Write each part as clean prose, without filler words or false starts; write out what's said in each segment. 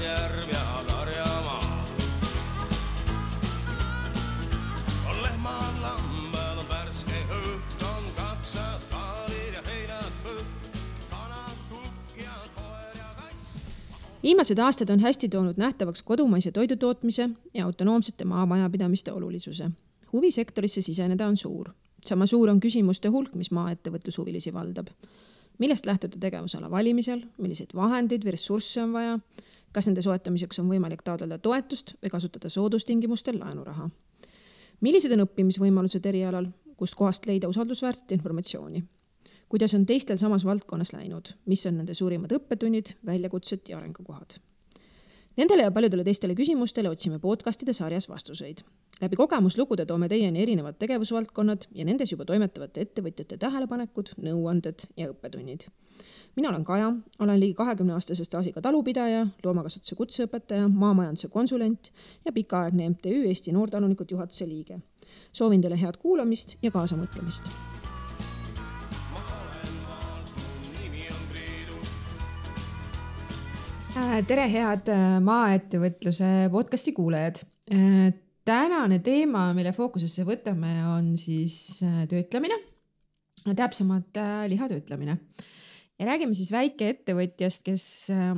järv ja karjamaa. On lehmad, lambad, on värske õhk, on kapsad, kaalid ja heinad põht, kanad, kukk ja koer ja kass. Viimased aastad on hästi toonud nähtavaks kodumaise toidutootmise ja autonoomsete maamajapidamiste olulisuse. Huvisektorisse siseneda on suur. Sama suur on küsimuste hulk, mis maaettevõtlushuvilisi valdab. Millest lähtuda tegevusala valimisel, milliseid vahendeid või ressursse on vaja, kas nende soetamiseks on võimalik taotleda toetust või kasutada soodustingimustel laenuraha. Millised on õppimisvõimalused erialal, kust kohast leida usaldusväärset informatsiooni? Kuidas on teistel samas valdkonnas läinud, mis on nende suurimad õppetunnid, väljakutsed ja arengukohad? Nendele ja paljudele teistele küsimustele otsime podcastide sarjas vastuseid. Läbi kogemuslugude toome teieni erinevad tegevusvaldkonnad ja nendes juba toimetavate ettevõtjate tähelepanekud, nõuanded ja õppetunnid. Mina olen Kaja, olen ligi 20-aastase staažiga talupidaja, loomakasvatuse kutseõpetaja, maamajanduse konsulent ja pikaaegne MTÜ Eesti Noortalunikud juhatuse liige. Soovin teile head kuulamist ja kaasamõtlemist. Tere head maaettevõtluse podcasti kuulajad. Tänane teema, mille fookusesse võtame, on siis töötlemine, täpsemalt lihatöötlemine. Ja räägime siis väikeettevõtjast, kes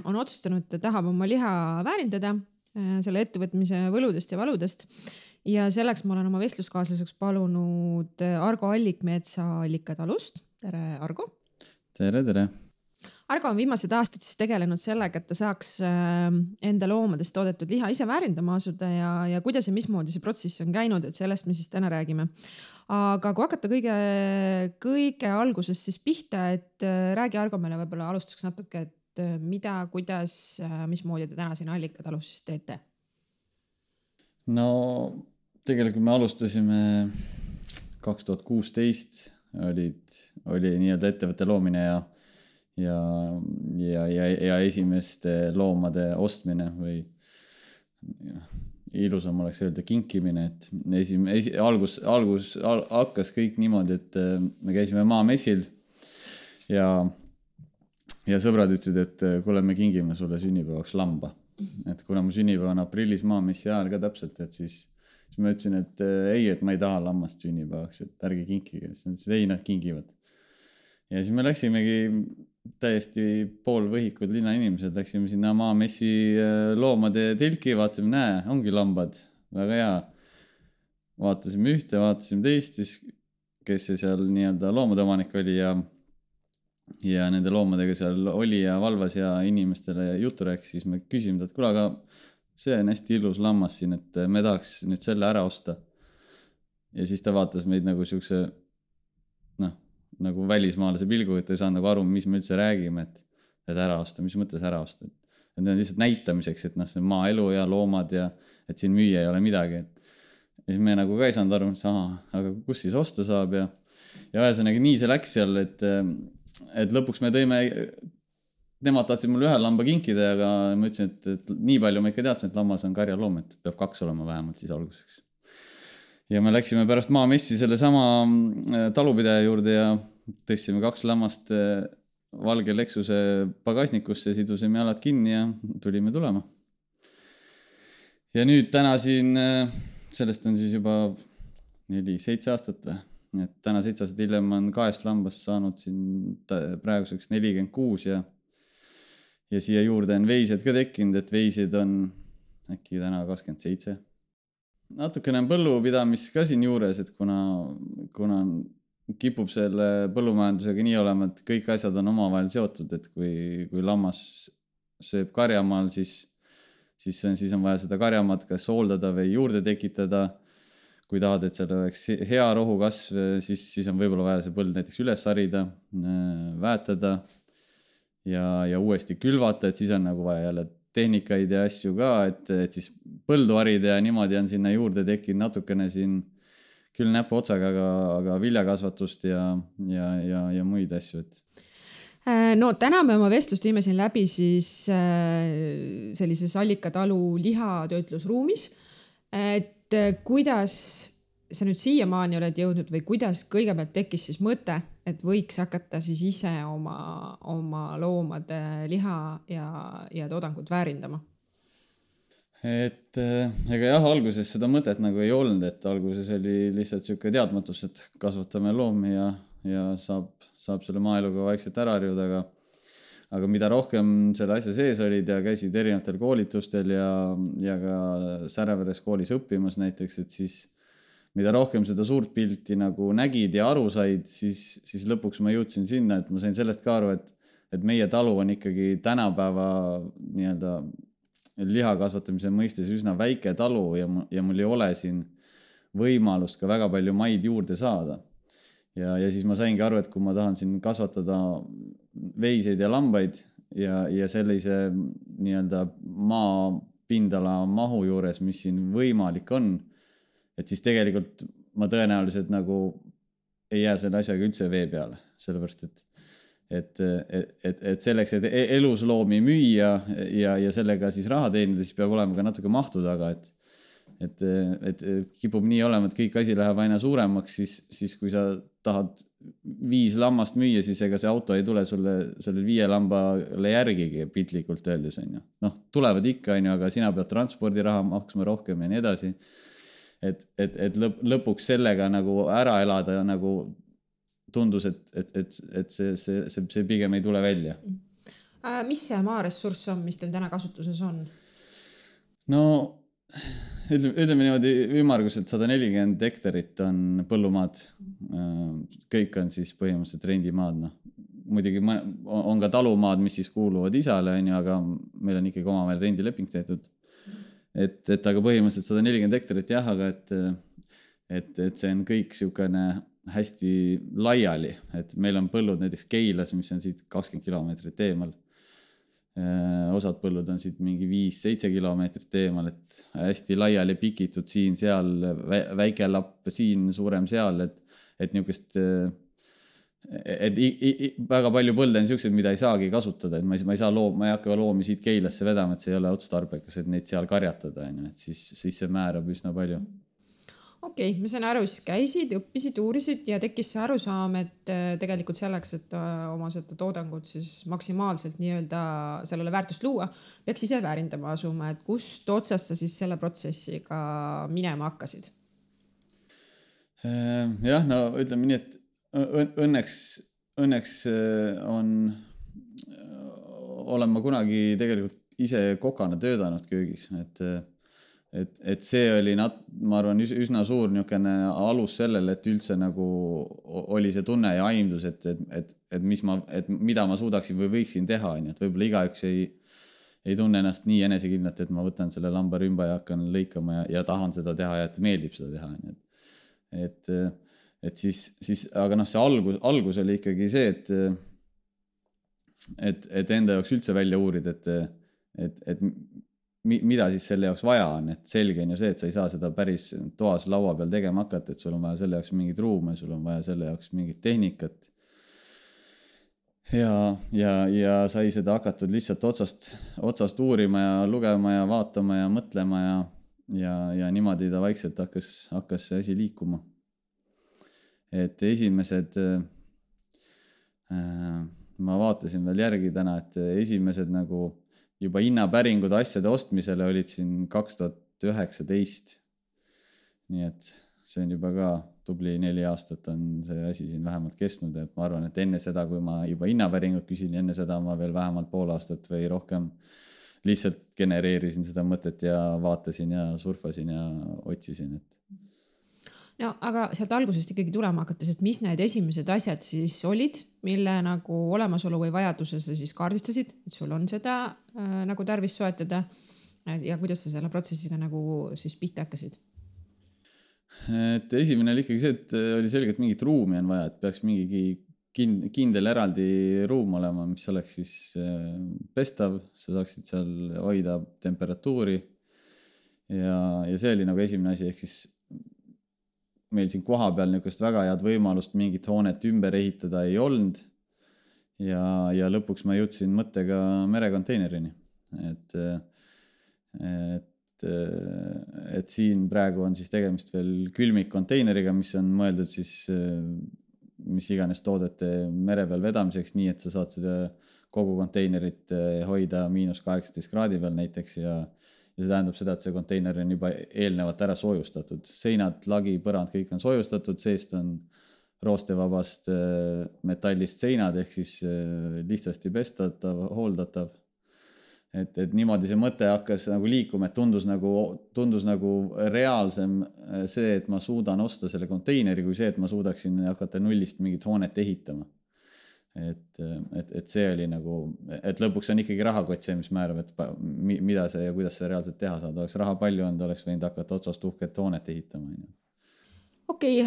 on otsustanud, et tahab oma liha väärindada selle ettevõtmise võludest ja valudest. Ja selleks ma olen oma vestluskaaslaseks palunud Argo Allikmetsa Allikatalust. Tere, Argo! Tere, tere! Argo on viimased aastad siis tegelenud sellega, et ta saaks enda loomadest toodetud liha ise väärindama asuda ja kuidas ja mismoodi see protsess on käinud, et sellest me siis täna räägime. Aga kui hakata kõige algusest siis pihta, et räägi Argo meile võib-olla alustuseks natuke, et mida, kuidas, mismoodi te täna siin Allikatalus siis teete? No tegelikult me alustasime 2016, oli nii-öelda ettevõtte loomine ja esimeste loomade ostmine või ilusam oleks öelda kinkimine, et algus hakkas kõik niimoodi, et me käisime maamessil ja sõbrad ütlesid, et kuule, me kingime sulle sünnipäevaks lamba. Et kuna mu sünnipäev on aprillis maamessi ajal ka täpselt, et siis ma ütlesin, et ei, et ma ei taha lammast sünnipäevaks, et ärge kinkige, siis ei, nad kingivad. Ja siis me läksimegi täiesti poolvõhikud linnainimesed, läksime sinna maamessi loomade tilki, vaatasime, näe, ongi lambad, väga hea. Vaatasime ühte, vaatasime teist, siis kes see seal nii-öelda loomade omanik oli ja nende loomadega seal oli ja valvas ja inimestele jutu rääkis, siis me küsisime, et kuule, aga see on hästi ilus lammas siin, et me tahaks nüüd selle ära osta. Ja siis ta vaatas meid nagu siukse, nagu välismaalase pilgu, et ei saanud nagu aru, mis me üldse räägime, et ära osta, mis mõttes ära osta. Et need on lihtsalt näitamiseks, et see on maaelu ja loomad ja et siin müüa ei ole midagi. Ja siis me nagu ka ei saanud aru, aga kus siis osta saab ja ühesõnaga nii see läks seal, et lõpuks me tõime, nemad tahtsid mulle ühe lamba kinkida, aga ma ütlesin, et nii palju ma ikka teadsin, et lammas on karjaloom, et peab 2 olema vähemalt siis alguseks. Ja me läksime pärast maamessi selle sama talupidaja juurde ja tõstsime 2 lammast valge Lexuse pagasnikusse, sidusime jalad kinni ja tulime tulema. Ja nüüd täna siin, sellest on siis juba 4-7 aastat või? Et täna 7 aastat hiljem on 2 lambast saanud siin praeguseks 46 ja siia juurde on veised ka tekkinud, et veised on äkki täna 27. Natukene on põllupidamist ka siin juures, et kuna kipub selle põllumajandusega nii olema, et kõik asjad on omavahel seotud, et kui lammas sööb karjamaal, siis on vaja seda karjamaad kas hooldada või juurde tekitada. Kui tahad, et seal oleks hea rohukasv, siis on võib-olla vaja see põld näiteks üles harida, väetada ja uuesti külvata, et siis on nagu vaja jälle tehnikaid ja asju ka, et siis põldu harida ja niimoodi on sinna juurde tekkinud natukene siin küll näpu otsaga, aga viljakasvatust ja muid asju. No täna me oma vestlust viime siin läbi siis sellises Allikatalu lihatöötlusruumis, et kuidas sa nüüd siiamaani oled jõudnud või kuidas kõigepealt tekkis siis mõte, et võiks hakata siis ise oma loomade liha ja toodangut väärindama? et ega jah, alguses seda mõtet nagu ei olnud, et alguses oli lihtsalt siuke teadmatus, et kasvatame loomi ja saab selle maaeluga vaikselt ära harjuda, aga mida rohkem selle asja sees olid ja käisid erinevatel koolitustel ja ka Säreveres koolis õppimas näiteks, et siis mida rohkem seda suurt pilti nagu nägid ja aru said, siis lõpuks ma jõudsin sinna, et ma sain sellest ka aru, et meie talu on ikkagi tänapäeva nii-öelda liha kasvatamise mõistes üsna väike talu ja mul ei ole siin võimalust ka väga palju maid juurde saada. Ja siis ma saingi aru, et kui ma tahan siin kasvatada veiseid ja lambaid ja sellise nii-öelda maapindala mahu juures, mis siin võimalik on, et siis tegelikult ma tõenäoliselt nagu ei jää selle asjaga üldse vee peale, sellepärast et selleks, et elusloomi müüa ja sellega siis raha teenida, siis peab olema ka natuke mahtu taga, et kipub nii olema, et kõik asi läheb aina suuremaks, siis kui sa tahad 5 lammast müüa, siis ega see auto ei tule sulle selle 5 lambale järgigi piltlikult öeldes, on ju. Noh, tulevad ikka, on ju, aga sina pead transpordiraha maksma rohkem ja nii edasi. Et lõpuks sellega nagu ära elada nagu tundus, et see pigem ei tule välja. Mis see maaressurss on, mis teil täna kasutuses on? No, ütleme niimoodi ümmarguselt 140 hektarit on põllumaad. Kõik on siis põhimõtteliselt rendimaad. No. Muidugi on ka talumaad, mis siis kuuluvad isale, aga meil on ikkagi omavahel rendileping tehtud. Et aga põhimõtteliselt 140 hektarit jah, aga et see on kõik siukene hästi laiali, et meil on põllud näiteks Keilas, mis on siit 20 kilomeetrit eemal. Osad põllud on siit mingi 5-7 kilomeetrit eemal, et hästi laiali pikitud siin, seal, väike lapp siin, suurem seal, et niukest, et väga palju põlde on siuksed, mida ei saagi kasutada, et ma ei hakka loomi siit Keilasse vedama, et see ei ole otstarbekas, et neid seal karjatada, et siis see määrab üsna palju. Okei, ma sain aru, siis käisid, õppisid, uurisid ja tekkis see arusaam, et tegelikult selleks, et oma seda toodangut siis maksimaalselt nii-öelda sellele väärtust luua, peaks ise väärindama asuma, et kust otsast sa siis selle protsessiga minema hakkasid? Jah, no ütleme nii, et õnneks olen ma kunagi tegelikult ise kokana töötanud köögis, et see oli, ma arvan, üsna suur niisugune alus sellele, et üldse nagu oli see tunne ja aimdus, et mida ma suudaksin või võiksin teha, et võib-olla igaüks ei tunne ennast nii enesekindlalt, et ma võtan selle lambarümba ja hakkan lõikama ja tahan seda teha ja et meeldib seda teha. Et siis, aga noh, see algus oli ikkagi see, et enda jaoks üldse välja uurid, et mida siis selle jaoks vaja on, et selge on ju see, et sa ei saa seda päris toas laua peal tegema hakata, et sul on vaja selle jaoks mingid ruume, sul on vaja selle jaoks mingit tehnikat ja sai seda hakatud lihtsalt otsast uurima ja lugema ja vaatama ja mõtlema ja niimoodi ta vaikselt hakkas see asi liikuma. Et esimesed, ma vaatasin veel järgi täna, et esimesed nagu juba hinnapäringud asjade ostmisele olid siin 2019. Nii et see on juba ka tubli 4 aastat on see asi siin vähemalt kestnud, et ma arvan, et enne seda, kui ma juba hinnapäringut küsin, enne seda ma veel vähemalt pool aastat või rohkem lihtsalt genereerisin seda mõtet ja vaatasin ja surfasin ja otsisin, et no aga sealt algusest ikkagi tulema hakates, et mis need esimesed asjad siis olid, mille nagu olemasolu või vajaduse sa siis kaardistasid, et sul on seda nagu tarvis soetada ja kuidas sa selle protsessiga nagu siis pihta hakkasid? Et esimene oli ikkagi see, et oli selgelt mingit ruumi on vaja, et peaks mingi kindel eraldi ruum olema, mis oleks siis pestav, sa saaksid seal hoida temperatuuri ja see oli nagu esimene asi, ehk siis meil siin koha peal niisugust väga head võimalust mingit hoonet ümber ehitada ei olnud ja lõpuks ma jõudsin mõttega merekonteinerini. Et siin praegu on siis tegemist veel külmikkonteineriga, mis on mõeldud siis mis iganes toodete mere peal vedamiseks, nii et sa saad seda kogu konteinerit hoida -18 kraadi peal näiteks ja ja see tähendab seda, et see konteiner on juba eelnevalt ära soojustatud. Seinad, lagi, põrand, kõik on soojustatud, seest on roostevabast metallist seinad ehk siis lihtsasti pestatav, hooldatav. Et niimoodi see mõte hakkas nagu liikuma, et tundus nagu reaalsem see, et ma suudan osta selle konteineri, kui see, et ma suudaksin hakata nullist mingit hoonet ehitama. Et see oli nagu, et lõpuks on ikkagi rahakott see, mis määrab, et mida see ja kuidas see reaalselt teha saada. Oleks raha palju olnud, oleks võinud hakata otsast uhket hoonet ehitama. Okei,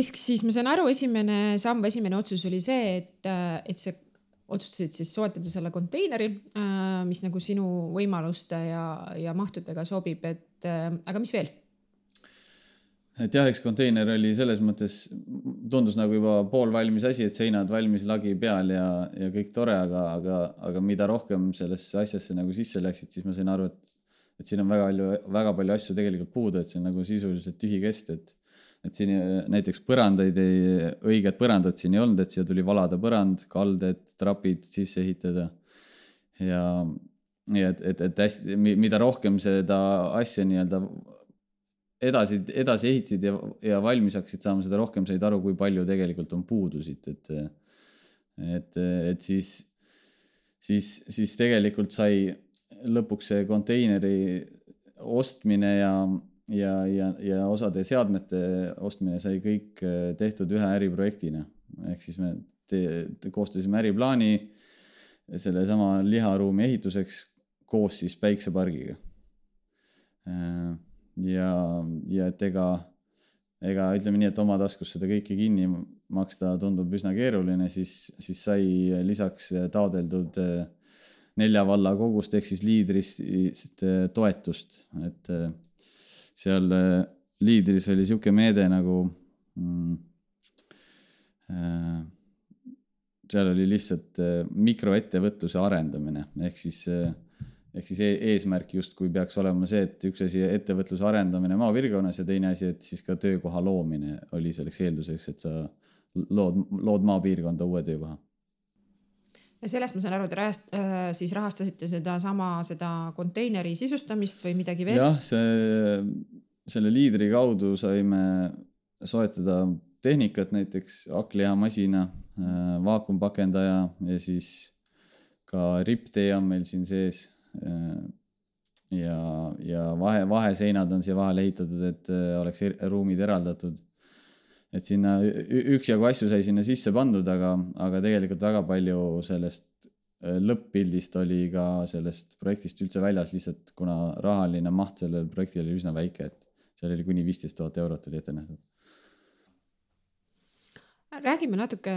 siis ma saan aru, esimene otsus oli see, et see otsustasid siis soetada selle konteineri, mis nagu sinu võimaluste ja mahtudega sobib, aga mis veel? Et jah, eks konteiner oli selles mõttes, tundus nagu juba poolvalmis asi, et seinad valmis lagi peal ja kõik tore, aga mida rohkem sellesse asjasse nagu sisse läksid, siis ma sain aru, et siin on väga palju asju tegelikult puudu, et see on nagu sisuliselt tühi kest, et siin näiteks õiged põrandad siin ei olnud, et siia tuli valada põrand, kalded, trapid sisse ehitada ja et hästi, mida rohkem seda asja nii-öelda edasi ehitasid ja valmis hakkasid saama, seda rohkem said aru, kui palju tegelikult on puudusid, et siis tegelikult sai lõpuks see konteineri ostmine ja osade seadmete ostmine sai kõik tehtud ühe äriprojektina. Ehk siis me koostasime äriplaani selle sama liharuumi ehituseks koos siis päiksepargiga. Ja et ega ütleme nii, et oma taskus seda kõike kinni maksta tundub üsna keeruline, siis sai lisaks taodeldud 4 valla kogust ehk siis liidrist toetust, et seal liidris oli siuke meede nagu seal oli lihtsalt mikroettevõtluse arendamine ehk siis eesmärk justkui peaks olema see, et üks asi ettevõtluse arendamine maapiirkonnas ja teine asi, et siis ka töökoha loomine oli selleks eelduseks, et sa lood maapiirkonda uue töökoha. Ja sellest ma saan aru, te siis rahastasite seda konteineri sisustamist või midagi veel? Jah, selle liidri kaudu saime soetada tehnikat, näiteks hakklihamasina, vaakumpakendaja ja siis ka ripptee on meil siin sees ja vaheseinad on siia vahele ehitatud, et oleks ruumid eraldatud. Et sinna üksjagu asju sai sinna sisse pandud, aga tegelikult väga palju sellest lõpp-pildist oli ka sellest projektist üldse väljas, lihtsalt kuna rahaline maht sellel projektil oli üsna väike, et seal oli kuni 15 000 eurot oli ette nähtud. Räägime natuke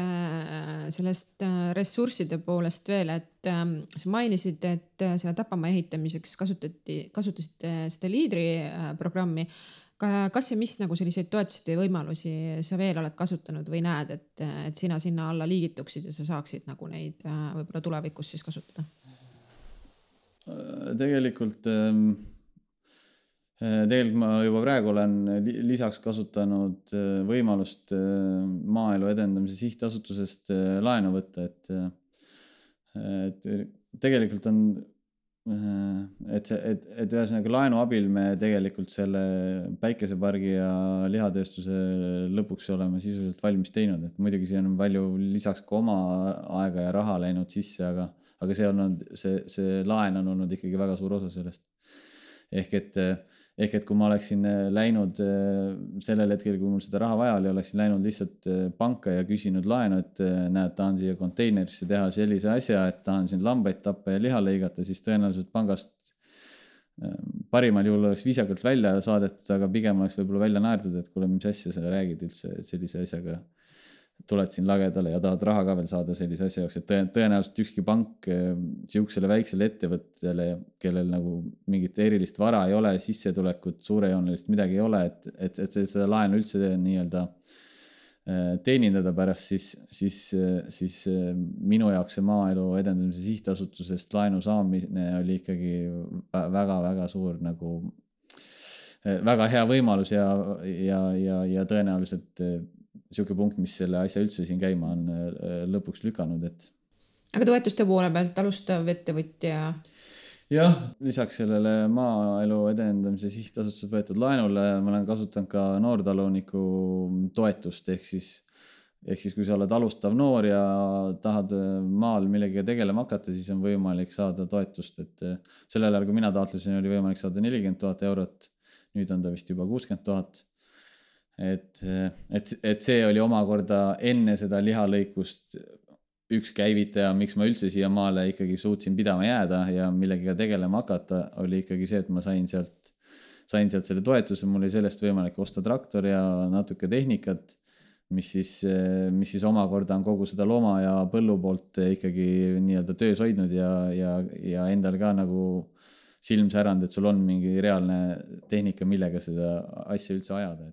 sellest ressursside poolest veel, et sa mainisid, et selle Tapamaa ehitamiseks kasutasite seda liidri programmi. Kas ja mis nagu selliseid toetusid ja võimalusi sa veel oled kasutanud või näed, et sina sinna alla liigituksid ja sa saaksid nagu neid võib-olla tulevikus siis kasutada? Tegelikult ma juba praegu olen lisaks kasutanud võimalust maaelu edendamise sihtasutusest laenu võtta, et tegelikult on, et ühesõnaga laenu abil me tegelikult selle päikesepargi ja lihatööstuse lõpuks oleme sisuliselt valmis teinud, et muidugi siin on palju lisaks ka oma aega ja raha läinud sisse, aga see laen on olnud ikkagi väga suur osa sellest. Ehk et kui ma oleksin läinud sellel hetkel, kui mul seda raha vaja oli, oleksin läinud lihtsalt panka ja küsinud laenu, et näed, tahan siia konteinerisse teha sellise asja, et tahan siin lambaid tappa ja liha lõigata, siis tõenäoliselt pangast parimal juhul oleks viisakalt välja saadetud, aga pigem oleks võib-olla välja naerdud, et kuule, mis asja sa räägid üldse sellise asjaga. Tuled siin lagedale ja tahad raha ka veel saada sellise asja jaoks, et tõenäoliselt ükski pank siuksele väiksele ettevõttele, kellel nagu mingit erilist vara ei ole, sissetulekut, suurejoonelist midagi ei ole, et seda laenu üldse nii-öelda teenindada pärast, siis minu jaoks see maaelu edendamise sihtasutusest laenu saamine oli ikkagi väga suur nagu väga hea võimalus ja tõenäoliselt siuke punkt, mis selle asja üldse siin käima on lõpuks lükanud, et. Aga toetuste poole pealt alustav ettevõtja? jah, lisaks sellele maaelu edendamise sihtasutuses võetud laenule ma olen kasutanud ka noortaluniku toetust, ehk siis kui sa oled alustav noor ja tahad maal millegagi tegelema hakata, siis on võimalik saada toetust, et sellel ajal, kui mina taotlesin, oli võimalik saada 40 000 eurot, nüüd on ta vist juba 60 000. Et see oli omakorda enne seda lihalõikust üks käivitaja, miks ma üldse siia maale ikkagi suutsin pidama jääda ja millegiga tegelema hakata, oli ikkagi see, et ma sain sealt selle toetuse, mul oli sellest võimalik osta traktor ja natuke tehnikat, mis siis omakorda on kogu seda looma ja põllu poolt ikkagi nii-öelda töös hoidnud ja endal ka nagu silm säranud, et sul on mingi reaalne tehnika, millega seda asja üldse ajada.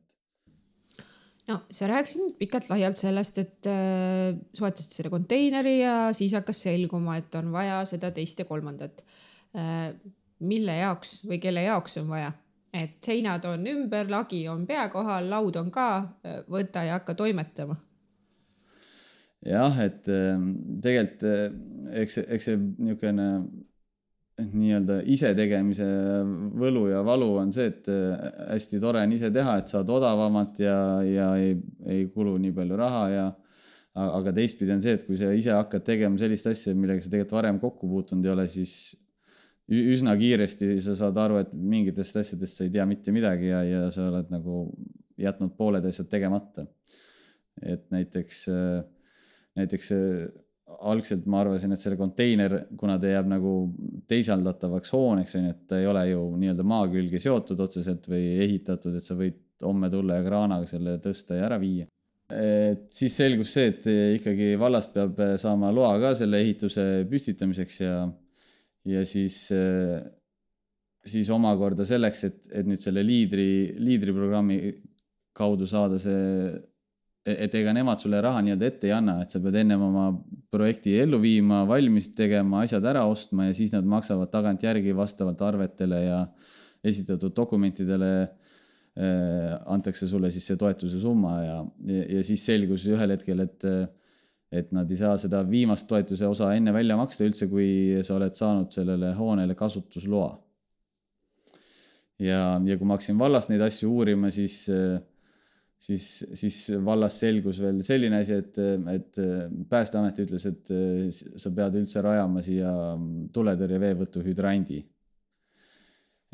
No, sa rääkisid pikalt laialt sellest, et soetasid selle konteineri ja siis hakkas selguma, et on vaja seda teist ja kolmandat. Mille jaoks või kelle jaoks on vaja? Et seinad on ümber, lagi on pea kohal, laud on ka, võta ja hakka toimetama. Jah, et tegelikult eks see niisugune nii-öelda ise tegemise võlu ja valu on see, et hästi tore on ise teha, et saad odavamalt ja ei kulu nii palju raha aga teistpidi on see, et kui sa ise hakkad tegema sellist asja, millega sa tegelikult varem kokku puutunud ei ole, siis üsna kiiresti sa saad aru, et mingitest asjadest sa ei tea mitte midagi ja sa oled nagu jätnud pooled asjad tegemata. Et näiteks algselt ma arvasin, et selle konteiner, kuna ta jääb nagu teisaldatavaks hooneks, et ta ei ole ju nii-öelda maa külge seotud otseselt või ehitatud, et sa võid homme tulla ja kraanaga selle tõsta ja ära viia. Et siis selgus see, et ikkagi vallast peab saama loa ka selle ehituse püstitamiseks ja siis omakorda selleks, et nüüd selle liidriprogrammi kaudu saada see, et ega nemad sulle raha nii-öelda ette ei anna, et sa pead ennem oma projekti ellu viima, valmis tegema, asjad ära ostma ja siis nad maksavad tagant järgi vastavalt arvetele ja esitatud dokumentidele antakse sulle siis see toetuse summa ja siis selgus ühel hetkel, et nad ei saa seda viimast toetuse osa enne välja maksta üldse, kui sa oled saanud sellele hoonele kasutusloa. Ja kui ma hakkasin vallast neid asju uurima, siis vallas selgus veel selline asi, et Päästeamet ütles, et sa pead üldse rajama siia tuletõrje veevõtu hüdrandi.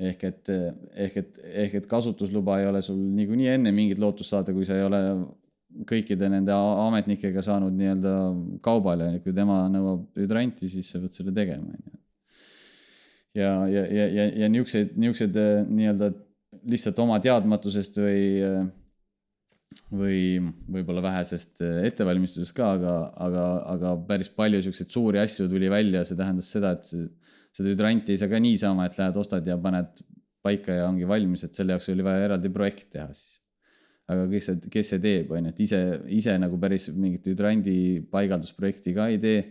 Ehk et kasutusluba ei ole sul niikuinii enne mingit lootust saada, kui sa ei ole kõikide nende ametnikega saanud nii-öelda kaubale, kui tema nõuab hüdranti, siis sa pead selle tegema. Ja niisugused nii-öelda lihtsalt oma teadmatusest või võib-olla vähesest ettevalmistusest ka, aga päris palju niisuguseid suuri asju tuli välja, see tähendas seda, et seda hüdranti ei saa ka niisama, et lähed ostad ja paned paika ja ongi valmis, et selle jaoks oli vaja eraldi projekt teha siis. Aga kes see teeb, on, et ise nagu päris mingit hüdrandi paigaldusprojekti ka ei tee.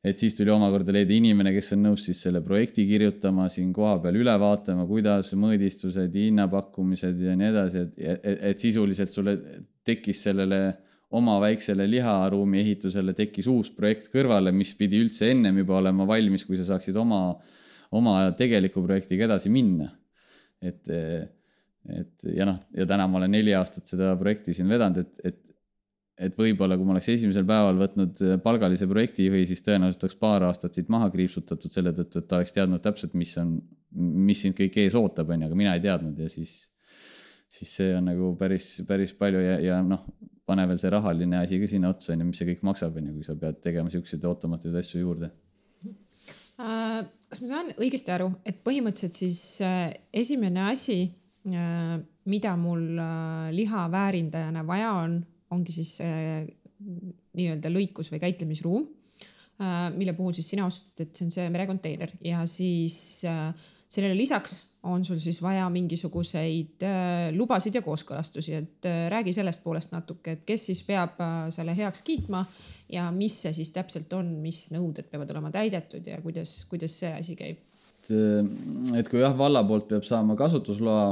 Et siis tuli omakorda leida inimene, kes on nõus siis selle projekti kirjutama, siin koha peal üle vaatama, kuidas mõõdistused, hinnapakkumised ja nii edasi, et sisuliselt sulle tekkis sellele oma väiksele liharuumi ehitusele tekkis uus projekt kõrvale, mis pidi üldse ennem juba olema valmis, kui sa saaksid oma tegeliku projektiga edasi minna. Ja täna ma olen 4 aastat seda projekti siin vedanud, et võib-olla kui ma oleks esimesel päeval võtnud palgalise projekti või siis tõenäoliselt oleks 2 aastat siit maha kriipsutatud selle tõttu, et ta oleks teadnud täpselt, mis sind kõik ees ootab, aga mina ei teadnud ja siis see on nagu päris palju ja pane veel see rahaline asi ka sinna otsa, mis see kõik maksab, kui sa pead tegema siukseid ootamatuid asju juurde. Kas ma saan õigesti aru, et põhimõtteliselt siis esimene asi, mida mul liha väärindajana vaja ongi siis nii-öelda lõikus või käitlemisruum, mille puhul siis sina otsustad, et see on see merekonteiner ja siis sellele lisaks on sul siis vaja mingisuguseid lubasid ja kooskõlastusi, et räägi sellest poolest natuke, et kes siis peab selle heaks kiitma ja mis see siis täpselt on, mis nõuded peavad olema täidetud ja kuidas see asi käib? Et kui valla poolt peab saama kasutusloa,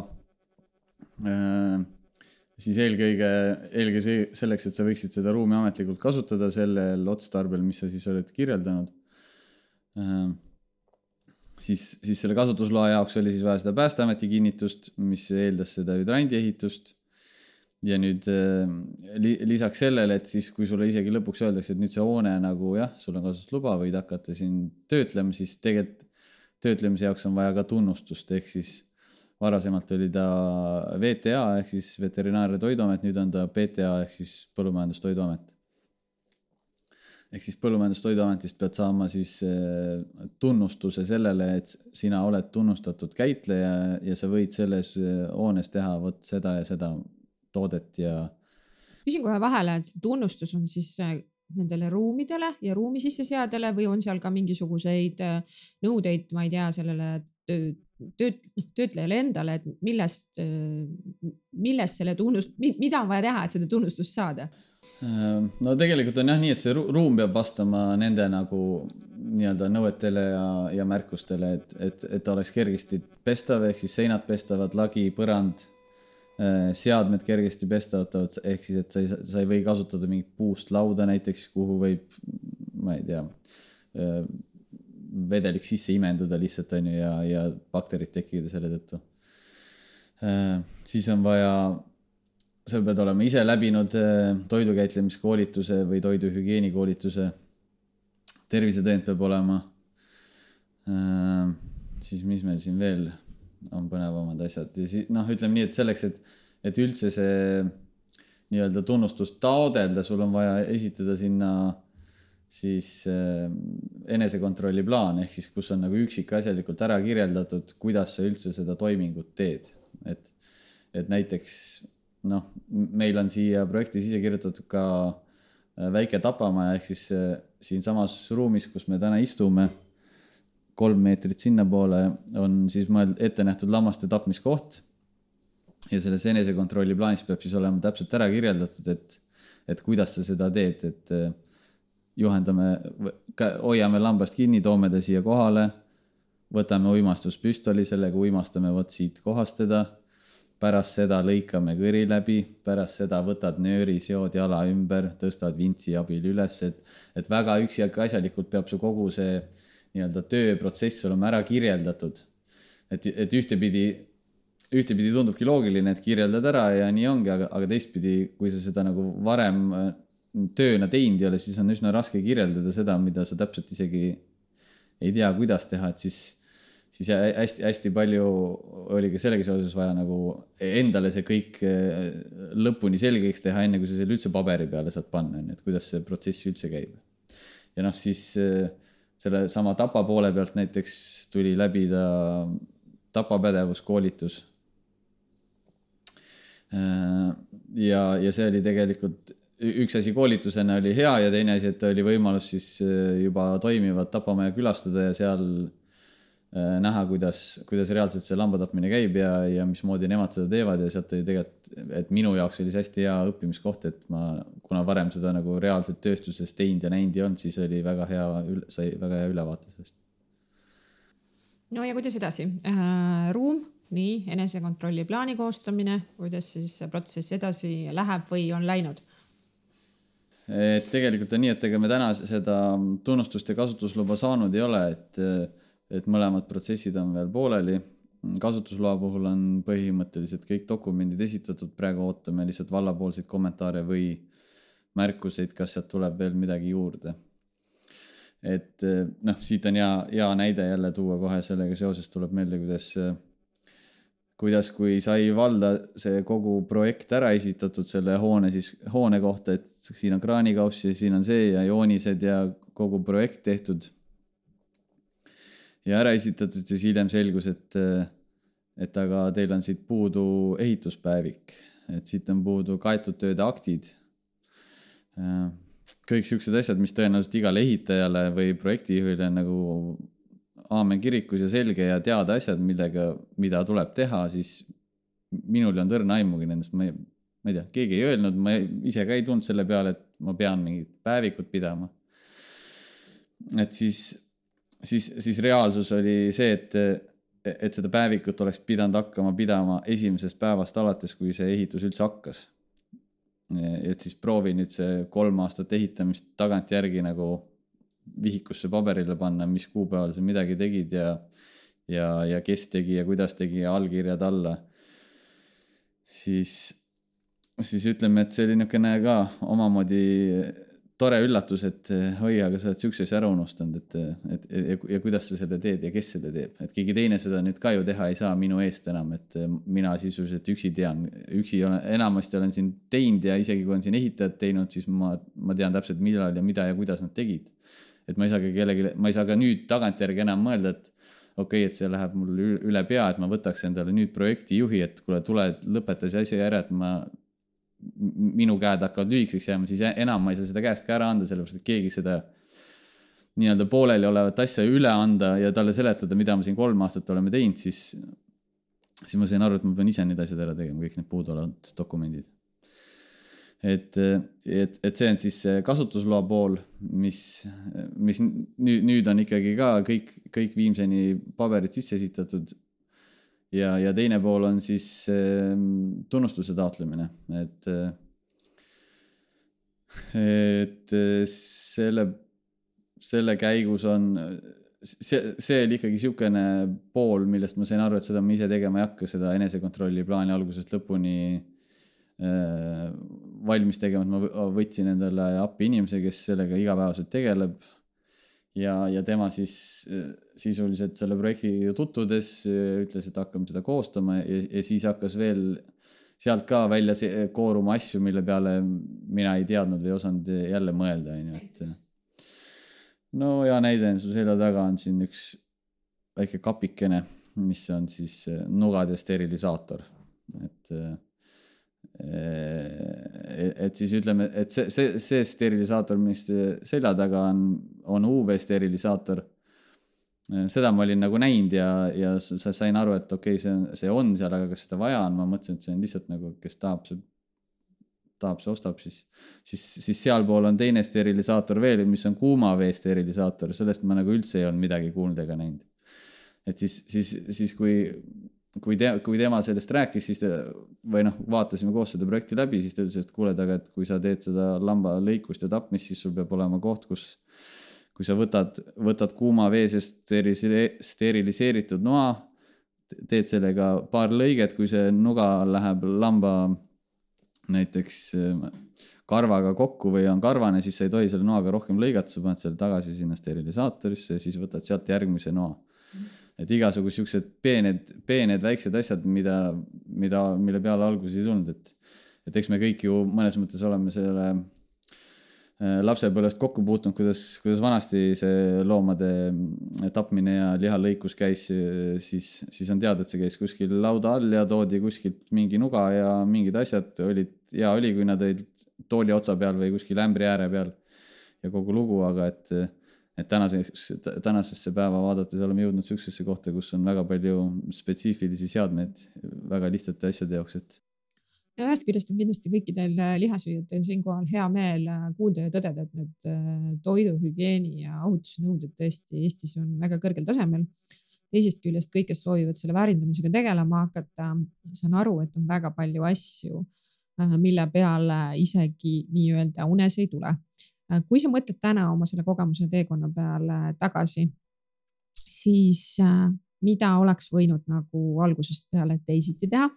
siis eelkõige selleks, et sa võiksid seda ruumi ametlikult kasutada sellel otstarbel, mis sa siis oled kirjeldanud, siis selle kasutusloa jaoks oli siis vaja seda Päästeameti kinnitust, mis eeldas seda hüdrandi ehitust. Ja nüüd lisaks sellele, et siis kui sulle isegi lõpuks öeldakse, et nüüd see hoone nagu jah, sul on kasutusluba, võid hakata siin töötlema, siis tegelikult töötlemise jaoks on vaja ka tunnustust, ehk siis varasemalt oli ta VTA ehk siis Veterinaar- ja Toiduamet, nüüd on ta PTA ehk siis Põllumajandustoiduamet. Ehk siis Põllumajandustoiduametist pead saama siis tunnustuse sellele, et sina oled tunnustatud käitleja ja sa võid selles hoones teha võt seda ja seda toodet ja... Küsin kohe vahele, et tunnustus on siis nendele ruumidele ja ruumi sisseseadele või on seal ka mingisuguseid nõudeid, ma ei tea, sellele töötlejale endale, et millest selle mida on vaja teha, et seda tunnustust saada? No tegelikult on jah nii, et see ruum peab vastama nende nagu nii-öelda nõuetele ja märkustele, et oleks kergesti pestav, ehk siis seinad pestavad, lagi, põrand, seadmed kergesti pestatavad, ehk siis, et sa ei või kasutada mingit puust lauda näiteks, kuhu võib, ma ei tea, vedelik sisse imenduda lihtsalt on ju ja bakterid tekkida selle tõttu. Siis on vaja, sa pead olema ise läbinud toidukäitlemiskoolituse või toiduhügieenikoolituse, tervisetõend peab olema. Siis mis meil siin veel on põnevamad asjad ja siis, ütleme nii, et selleks, et üldse see nii-öelda tunnustust taodelda, sul on vaja esitada sinna siis enesekontrolli plaan, ehk siis kus on nagu üksikasjalikult ära kirjeldatud, kuidas sa üldse seda toimingut teed. Et näiteks, meil on siia projektis ise kirjutatud ka väike tapamaja, ehk siis siin samas ruumis, kus me täna istume, 3 meetrit sinna poole on siis ette nähtud lammaste tapmiskoht ja selles enesekontrolli plaanis peab siis olema täpselt ära kirjeldatud, et kuidas sa seda teed, et hoiame lambast kinni, toome ta siia kohale, võtame uimastuspüstoli, sellega uimastame siit kohast teda, pärast seda lõikame kõri läbi, pärast seda võtad nööri, seod jala ümber, tõstad vintsi abil üles, et väga üksikasjalikult peab su kogu see nii-öelda tööprotsess olema ära kirjeldatud. Et ühtepidi tundubki loogiline, et kirjeldad ära ja nii ongi, aga teistpidi, kui sa seda nagu varem tööna teinud ei ole, siis on üsna raske kirjeldada seda, mida sa täpselt isegi ei tea, kuidas teha, et siis hästi palju oli ka sellega seoses vaja nagu endale see kõik lõpuni selgeks teha, enne kui sa selle üldse paberi peale saad panna, et kuidas see protsess üldse käib. Ja siis selle sama tapa poole pealt näiteks tuli läbida tapapädevuskoolitus. Ja see oli tegelikult üks asi koolitusena oli hea ja teine asi, et oli võimalus siis juba toimivat tapamaja külastada ja seal näha, kuidas reaalselt see lambatapmine käib ja mismoodi nemad seda teevad ja sealt oli tegelikult, et minu jaoks oli see hästi hea õppimiskoht, et kuna varem seda nagu reaalselt tööstuses teinud ja näinud ei olnud, siis oli sai väga hea ülevaate sellest. No ja kuidas edasi? Ruum, nii, enesekontrolli plaani koostamine, kuidas siis protsess edasi läheb või on läinud? Et tegelikult on nii, et ega me täna seda tunnustust ja kasutusluba saanud ei ole, et mõlemad protsessid on veel pooleli. Kasutusloa puhul on põhimõtteliselt kõik dokumendid esitatud, praegu ootame lihtsalt vallapoolseid kommentaare või märkuseid, kas sealt tuleb veel midagi juurde. Et siit on hea näide jälle tuua kohe sellega seoses tuleb meelde, kuidas kui sai valda see kogu projekt ära esitatud selle hoone kohta, et siin on kraanikauss ja siin on see ja joonised ja kogu projekt tehtud ja ära esitatud, siis hiljem selgus, et aga teil on siit puudu ehituspäevik, et siit on puudu kaetud tööde aktid. Kõik siuksed asjad, mis tõenäoliselt igale ehitajale või projektijuhile nagu aamen kirikus ja selge ja teada asjad, mida tuleb teha, siis minul ei olnud õrna aimugi nendest, ma ei tea, keegi ei öelnud, ma ise ka ei tulnud selle peale, et ma pean mingit päevikut pidama. Et siis reaalsus oli see, et seda päevikut oleks pidanud hakkama pidama esimesest päevast alates, kui see ehitus üldse hakkas. Et siis proovi nüüd see 3 aastat ehitamist tagantjärgi nagu vihikusse paberile panna, mis kuupäeval sa midagi tegid ja kes tegi ja kuidas tegi ja allkirjad alla, siis ütleme, et see oli niisugune ka omamoodi tore üllatus, et oi, aga sa oled siukse asja ära unustanud, ja kuidas sa selle teed ja kes selle teeb, et keegi teine seda nüüd ka ju teha ei saa minu eest enam, et mina sisuliselt üksi enamasti olen siin teinud ja isegi kui on siin ehitajad teinud, siis ma tean täpselt millal ja mida ja kuidas nad tegid. Et ma ei saa ka nüüd tagantjärgi enam mõelda, et okei, et see läheb mul üle pea, et ma võtaks endale nüüd projekti juhi, et kuule, tule lõpeta see asja ära, et minu käed hakkavad lühikseks jääma, siis enam ma ei saa seda käest ka ära anda, sellepärast, et keegi seda nii-öelda pooleli olevat asja üle anda ja talle seletada, mida ma siin 3 aastat oleme teinud, siis ma sain aru, et ma pean ise need asjad ära tegema, kõik need puuduolevad dokumendid. Et see on siis kasutusloa pool, mis nüüd on ikkagi ka kõik viimseni paberid sisse esitatud. Ja teine pool on siis tunnustuse taotlemine, et selle käigus on, see oli ikkagi siukene pool, millest ma sain aru, et seda ma ise tegema ei hakka, seda enesekontrolli plaani algusest lõpuni valmis tegema, et ma võtsin endale appi inimese, kes sellega igapäevaselt tegeleb. Ja tema siis sisuliselt selle projekti tutvudes ütles, et hakkame seda koostama ja siis hakkas veel sealt ka välja kooruma asju, mille peale mina ei teadnud või osanud jälle mõelda. No ja näide su selja taga on siin üks väike kapikene, mis on siis nugade sterilisaator. Et siis ütleme, et see sterilisaator, mis selja taga on UV sterilisaator. Seda ma olin nagu näinud ja sain aru, et okei, see on seal, aga kas seda vaja on, ma mõtlesin, et see on lihtsalt nagu, kes tahab, see ostab, siis sealpool on teine sterilisaator veel, mis on kuuma vee sterilisaator, sellest ma nagu üldse ei olnud midagi kuulnud ega näinud. Et siis kui tema sellest rääkis, siis vaatasime koos seda projekti läbi, siis ta ütles, et kuule, et kui sa teed seda lamba lõikust ja tapmist, siis sul peab olema koht, kui sa võtad kuuma veesest steriliseeritud noa, teed sellega paar lõiget, kui see nuga läheb lamba näiteks karvaga kokku või on karvane, siis sa ei tohi selle noaga rohkem lõigata, sa paned selle tagasi sinna sterilisaatorisse ja siis võtad sealt järgmise noa. Et igasugused siuksed peened väiksed asjad, mille peale alguses ei tulnud, et eks me kõik ju mõnes mõttes oleme selle lapsepõlvest kokku puutunud, kuidas vanasti see loomade tapmine ja lihalõikus käis, siis on teada, et see käis kuskil lauda all ja toodi kuskilt mingi nuga ja mingid asjad oli, kui nad olid tooli otsa peal või kuskil ämbri ääre peal ja kogu lugu, aga et tänasesse päeva vaadates oleme jõudnud süksesse kohta, kus on väga palju spetsiifilisi seadmeid väga lihtsate asjade jaoks. Ja ühest küljest on kindlasti kõikidel lihasüüjatel siinkohal hea meel kuulda ja tõdeda, et need toiduhügieeni ja ohutusnõuded tõesti Eestis on väga kõrgel tasemel. Teisest küljest kõik, kes soovivad selle väärindamisega tegelema hakata, saan aru, et on väga palju asju, mille peale isegi nii-öelda unes ei tule. Kui sa mõtled täna oma selle kogemuse teekonna peale tagasi, siis mida oleks võinud nagu algusest peale teisiti teha?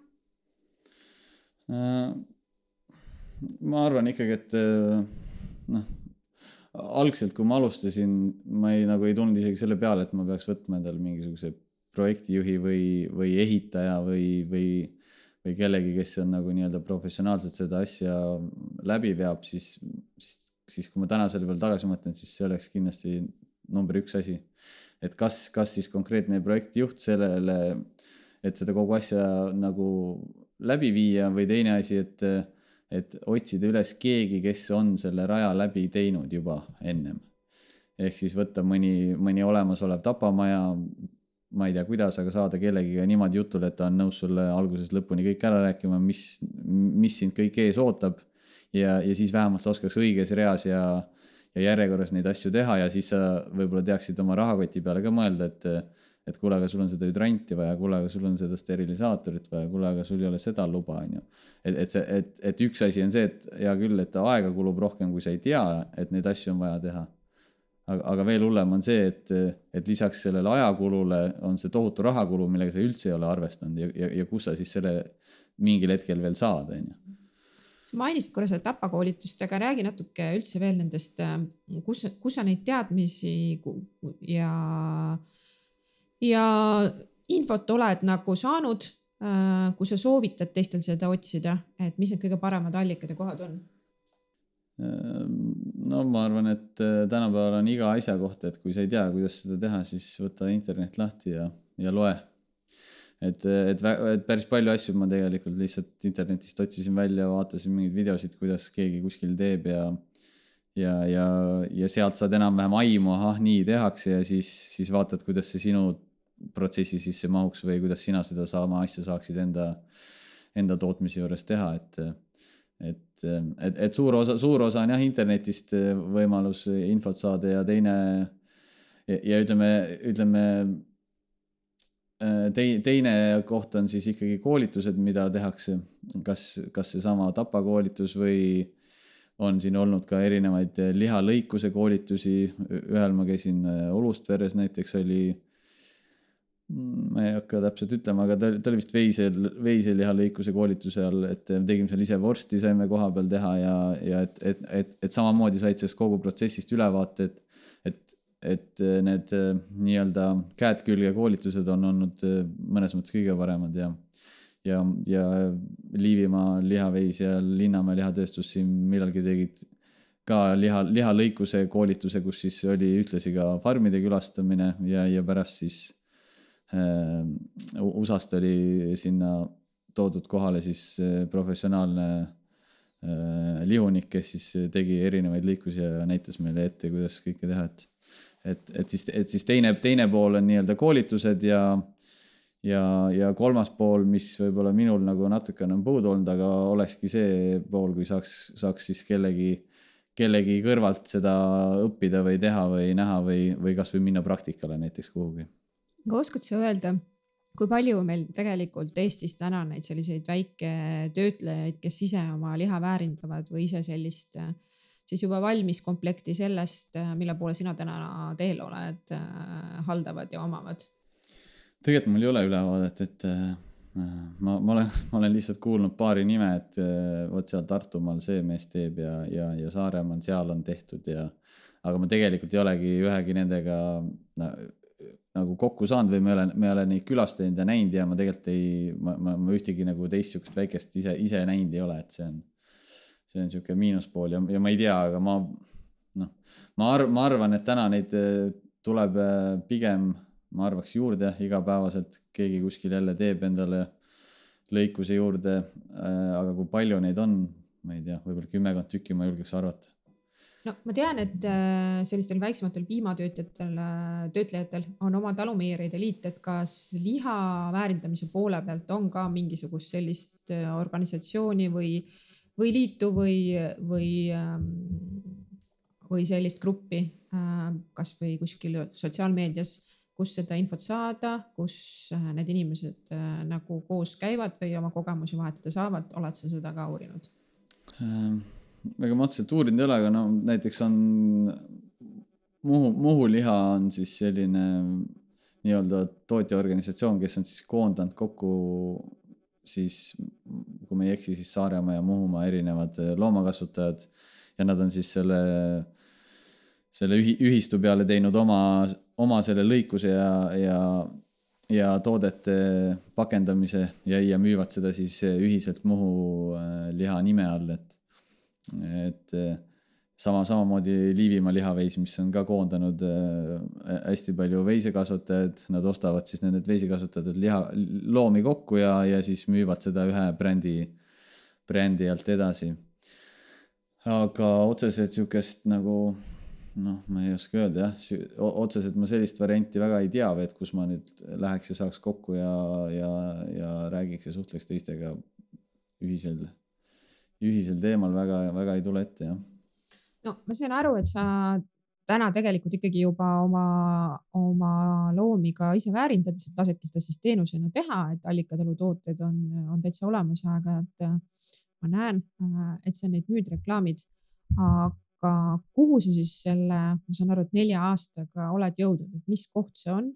Ma arvan ikkagi, et algselt, kui ma alustasin, ma ei tulnud isegi selle peale, et ma peaks võtma endale mingisuguse projektijuhi või ehitaja või kellegi, kes on nagu nii-öelda professionaalselt seda asja läbi veab, siis kui ma täna selle peale tagasi mõtlen, siis see oleks kindlasti number 1 asi. Et kas siis konkreetne projektijuht sellele, et seda kogu asja nagu läbi viia või teine asi, et otsida üles keegi, kes on selle raja läbi teinud juba ennem. Ehk siis võtta mõni olemasolev tapamaja, ma ei tea kuidas, aga saada kellegiga niimoodi jutule, et ta on nõus sulle algusest lõpuni kõik ära rääkima, mis sind kõik ees ootab. Ja siis vähemalt oskaks õiges reas ja järjekorras neid asju teha ja siis sa võib-olla teaksid oma rahakoti peale ka mõelda, et kuule, aga sul on seda hüdranti vaja, kuule, aga sul on seda steriilisaatorit vaja, kuule, aga sul ei ole seda luba. Et üks asi on see, et hea küll, et aega kulub rohkem, kui sa ei tea, et neid asju on vaja teha. aga veel hullem on see, et lisaks sellele ajakulule on see tohutu rahakulu, millega sa üldse ei ole arvestanud ja kus sa siis selle mingil hetkel veel saad, on ju. Sa mainisid korra seda tapakoolitust, aga räägi natuke üldse veel nendest, kus sa neid teadmisi ja infot oled nagu saanud, kui sa soovitad teistel seda otsida, et mis need kõige paremad allikad ja kohad on? No ma arvan, et tänapäeval on iga asja kohta, et kui sa ei tea, kuidas seda teha, siis võta internet lahti ja loe. Et päris palju asju ma tegelikult lihtsalt internetist otsisin välja, vaatasin mingeid videosid, kuidas keegi kuskil teeb ja sealt saad enam-vähem aimu, nii tehakse ja siis vaatad, kuidas see sinu protsessi sisse mahuks või kuidas sina seda sama asja saaksid enda tootmise juures teha, et suur osa on jah internetist võimalus infot saada ja teine koht on siis ikkagi koolitused, mida tehakse, kas see sama tapakoolitus või on siin olnud ka erinevaid lihalõikuse koolitusi, ühel ma käisin Olust veres näiteks oli, ma ei hakka täpselt ütlema, aga ta oli vist veiselihalõikuse koolituse all, et tegime seal ise vorsti, saime koha peal teha ja et samamoodi said sellest kogu protsessist ülevaate, et need nii-öelda käed külge koolitused on olnud mõnes mõttes kõige paremad ja Liivimaa lihaveis ja Linnamäe lihatööstus siin millalgi tegid ka lihalõikuse koolituse, kus siis oli ühtlasi ka farmide külastamine ja pärast siis USA-st oli sinna toodud kohale siis professionaalne lihunik, kes siis tegi erinevaid lõikusi ja näitas meile ette, kuidas kõike teha, et siis teine pool on nii-öelda koolitused ja kolmas pool, mis võib-olla minul nagu natukene on puudu olnud, aga olekski see pool, kui saaks siis kellegi kõrvalt seda õppida või teha või näha või kas või minna praktikale näiteks kuhugi. Aga oskad sa öelda, kui palju meil tegelikult Eestis täna neid selliseid väiketöötlejaid, kes ise oma liha väärindavad või ise sellist siis juba valmis komplekti sellest, mille poole sina täna teel oled, haldavad ja omavad? Tegelikult mul ei ole ülevaadet, et ma olen lihtsalt kuulnud paari nime, et võt seal Tartumaal see mees teeb ja Saaremaal seal on tehtud aga ma tegelikult ei olegi ühegi nendega nagu kokku saanud või me ei ole neid külastanud ja näinud ja ma tegelikult ma ühtegi nagu teist sükest väikest ise näinud ei ole, et see on siuke miinuspool ja ma ei tea, aga ma arvan, et täna neid tuleb pigem, ma arvaks juurde igapäevaselt, keegi kuskil jälle teeb endale lõikuse juurde, aga kui palju neid on, ma ei tea, võib-olla 10 tükki ma julgeks arvata. No ma tean, et sellistel väiksematel piimatöötlejatel on oma talumeieride liit, et kas liha väärindamise poole pealt on ka mingisugust sellist organisatsiooni või liitu või sellist gruppi, kas või kuskil sotsiaalmeedias, kus seda infot saada, kus need inimesed nagu koos käivad või oma kogemusi vahetada saavad, oled sa seda ka uurinud? Ega ma otseselt uurinud ei ole, aga näiteks on Muhu liha on siis selline nii-öelda tootjaorganisatsioon, kes on siis koondanud kokku siis, kui me ei eksi, siis Saaremaa ja Muhumaa erinevad loomakasvatajad ja nad on siis selle ühistu peale teinud oma selle lõikuse ja toodete pakendamise ja müüvad seda siis ühiselt Muhu liha nime all, et samamoodi Liivimaa lihaveis, mis on ka koondanud hästi palju veisekasvatajad, nad ostavad siis need veisekasvatatud loomi kokku ja siis müüvad seda ühe brändi alt edasi. Aga otseselt siukest nagu, ma ei oska öelda jah, otseselt ma sellist varianti väga ei tea, et kus ma nüüd läheks ja saaks kokku ja räägiks ja suhtleks teistega ühisel teemal väga ei tule ette, jah. No ma saan aru, et sa täna tegelikult ikkagi juba oma loomi ka ise väärindad, lihtsalt lasedki seda siis teenusena teha, et allikatalu tooted on täitsa olemas, aga et ma näen, et sa neid müüd reklaamid, aga kuhu sa siis selle, ma saan aru, et 4 aastaga oled jõudnud, et mis koht see on,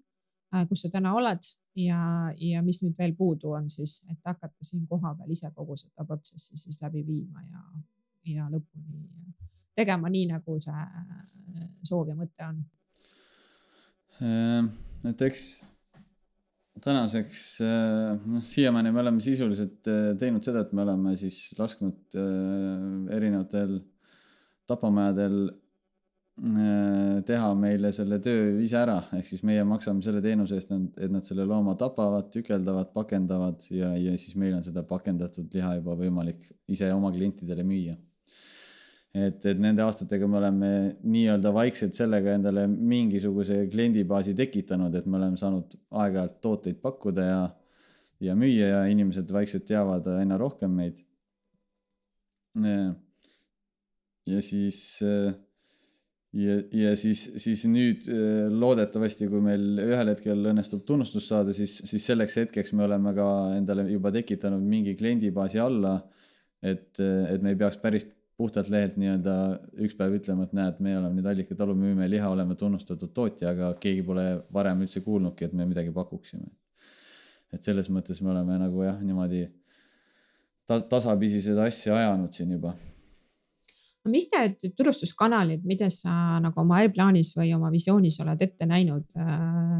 kus sa täna oled ja mis nüüd veel puudu on siis, et hakata siin kohapeal ise kogu seda protsessi siis läbi viima ja lõpuni tegema nii, nagu see soov ja mõte on? Et eks tänaseks, siiamaani me oleme sisuliselt teinud seda, et me oleme siis lasknud erinevatel tapamajadel teha meile selle töö ise ära, ehk siis meie maksame selle teenuse eest, et nad selle looma tapavad, tükeldavad, pakendavad ja siis meil on seda pakendatud liha juba võimalik ise oma klientidele müüa. Et nende aastatega me oleme nii-öelda vaikselt sellega endale mingisuguse kliendibaasi tekitanud, et me oleme saanud aeg-ajalt tooteid pakkuda ja müüa ja inimesed vaikselt teavad aina rohkem meid. Ja siis nüüd loodetavasti, kui meil ühel hetkel õnnestub tunnustus saada, siis selleks hetkeks me oleme ka endale juba tekitanud mingi kliendibaasi alla, et me ei peaks päris puhtalt lehelt nii-öelda üks päev ütlema, et näed, me oleme nüüd Allika talu, müüme liha, oleme tunnustatud tootja, aga keegi pole varem üldse kuulnudki, et me midagi pakuksime. Et selles mõttes me oleme nagu jah, niimoodi tasapisi seda asja ajanud siin juba. Mis need turustuskanalid, mida sa nagu oma äriplaanis või oma visioonis oled ette näinud